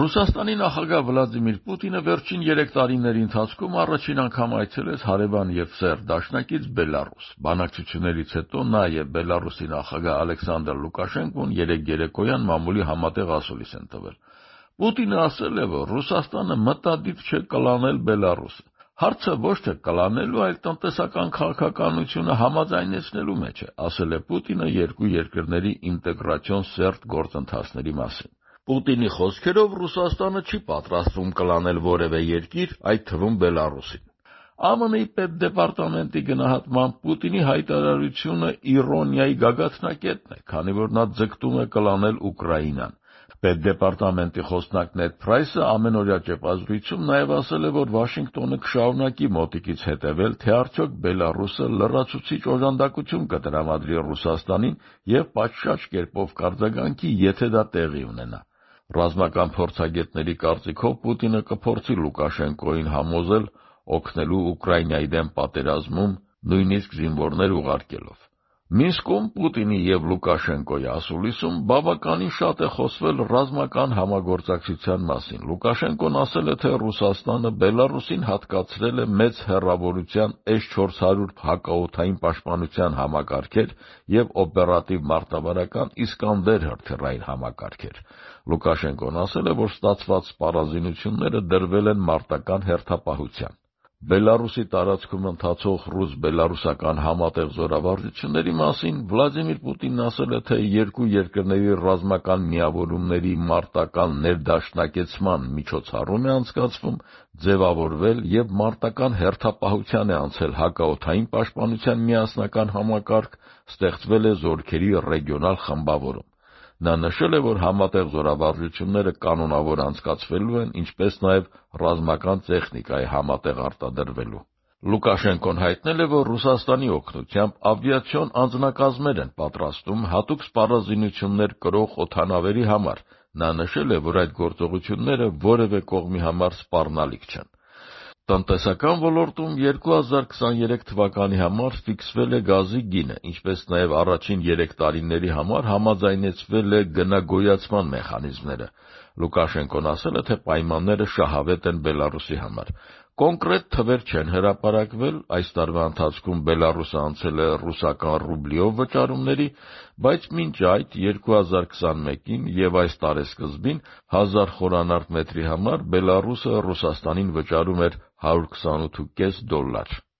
Ռուսաստանի նախագահ Վլադիմիր Պուտինը վերջին 3 տարիների ընթացքում առաջին անգամ այցելեց հարևան եւ սեր դաշնակից Բելարուս։ Բանակցություններից հետո նա եւ Բելարուսի նախագահ Ալեքսանդր Լուկաշենկոն երեկոյան մամուլի համատեղ ասուլիս են տվել։ Պուտինը ասել է, որ Ռուսաստանը մտադիր չէ կլանել Բելարուսը։ Հարցը ոչ թե կլանելու, այլ տնտեսական քաղաքականությունը համաձայնեցնելու մեջ է, ասել է Պուտինը երկու երկրների ինտեգրացիոն սերտ գործընթացների մասին։ Պուտինի խոսքերով Ռուսաստանը չի պատրաստվում կլանել որևէ երկիր, այդ թվում Բելարուսին։ ԱՄՆ-ի պետդեպարտամենտի գնահատմամբ Պուտինի հայտարարությունը իրոնիայի գագաթնակետն է, քանի որ նա ձգտում է կլանել Ուկրաինան։ Պետդեպարտամենտի խոսնակ Նեդ Փրայսը ամենօրյա ճեպազրույցում նաև ասել է, որ Վաշինգտոնը կշարունակի մոտիկից հետևել, թե արդյոք Բելարուսը լրացուցիչ օժանդակություն կտրամադրի Ռուսաստանին եւ պատշաճ կերպով կարձագանքի, եթե դա տեղի ունենա։ Ռազմական փորձագետների կարծիքով Պուտինը կփորձի Լուկաշենկոին համոզել օգնելու Ուկրաինայի դեմ պատերազմում, նույնիսկ զինվորներ ուղարկելով։ Մինսկում Պուտինի եւ Լուկաշենկոյի ասուլիսում բավականին շատ է խոսվել ռազմական համագործակցության մասին։ Լուկաշենկոն ասել է, թե Ռուսաստանը Բելարուսին հատկացրել է մեծ հեռավորության S-400 հակաօդային պաշտպանության համակարգեր եւ օպերատիվ մարտավարական Իսկանդեր հրթիռային համակարգեր։ Լուկաշենկոն ասել է, որ ստացված սպառազինությունները դրվել են մարտական հերթապահության։ Բելարուսի տարածքում ընթացող ռուս-բելարուսական համատեղ զորավարժությունների մասին Վլադիմիր Պուտինն ասել է, թե երկու երկրների ռազմական միավորումների մարտական ներդաշնակեցման միջոցառում է անցկացվում, ձևավորվել եւ մարտական հերթապահության է անցել հակաօդային պաշտպանության միասնական համակարգ, ստեղծվել է զորքերի ռեգիոնալ խմբավորում։ Նա նշել է, որ համատեղ զորավարժությունները կանոնավոր անցկացվելու են, ինչպես նաև ռազմական տեխնիկայի համատեղ արտադրվելու։ Լուկաշենկոն հայտնել է, որ Ռուսաստանի օգնությամբ ավիացիոն անձնակազմեր են պատրաստում հատուկ սպառազինություններ կրող օդանավերի համար։ Նա նշել է, որ այդ գործողությունները որևէ կողմի համար սպառնալիք չեն։ Տնտեսական ոլորտում 2023 թվականի համար ֆիքսվել է գազի գինը, ինչպես նաև առաջին 3 տարիների համար համաձայնեցվել է գնագոյացման մեխանիզմները։ Լուկաշենկոն ասել է, թե պայմանները շահավետ են Բելարուսի համար։ Կոնկրետ թվեր չեն հրապարակվել, այս տարվա ընթացքում Բելարուսը անցել է ռուսական ռուբլիով վճարումների, բայց մինչ այդ 2021-ին եւ այս տարեսկզբին 1000 խորանարդ մետրի համար Բելարուսը Ռուսաստանին վճարում էր $128.5